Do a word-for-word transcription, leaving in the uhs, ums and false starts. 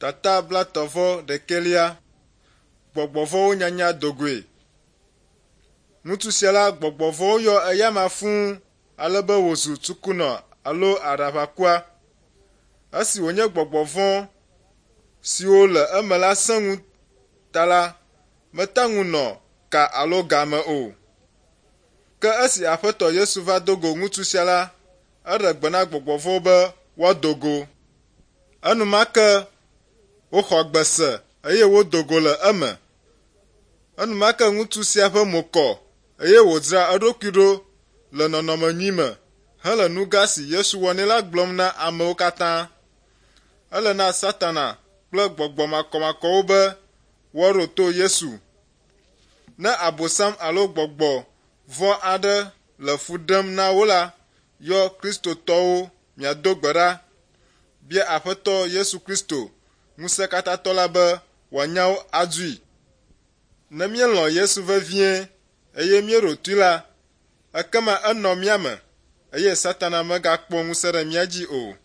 Tata blaetɔ̃ vɔ ɖekɛlia. Gbɔgbɔ vɔ̃wo nyanya do goe. Ŋutsu sia la, gbɔgbɔ vɔ̃wo yɔ eyama fũu ale be wòzu tsukunɔ alo aɖaʋakua. Esi wònye gbɔgbɔ vɔ̃ siwo le eme la sẽ ŋu ta la, mete ŋu nɔ ka alo ga me o. Ke esi Aƒetɔ Yesu va do go ŋutsu sia la, eɖe gbe na gbɔgbɔ vɔ̃wo be woado go. Enumake woxɔ gbe se eye wodo go le eme. Enumake ŋutsu sia ƒe mo kɔ eye wòdzra eɖokui ɖo le nɔnɔme nyui me hele nu gã si Yesu wɔ nɛ la gblɔm na amewo katã. Ele na Satana kple gbɔgbɔ makɔmakɔwo be woaɖo to Yesu. Ne Abosam alo gbɔgbɔ vɔ̃ aɖe le fu ɖem na wo la, yɔ Kristotɔwo miado gbe ɖa. Bia Aƒetɔ Yesu Kristo, Ŋusẽkatãtɔ la be wòanya wo adzoe. Ne míelɔ̃ Yesu vevie eye míeɖo toe la, ekema enɔ mía me eye Satana megakpɔ ŋusẽ ɖe mía dzi o.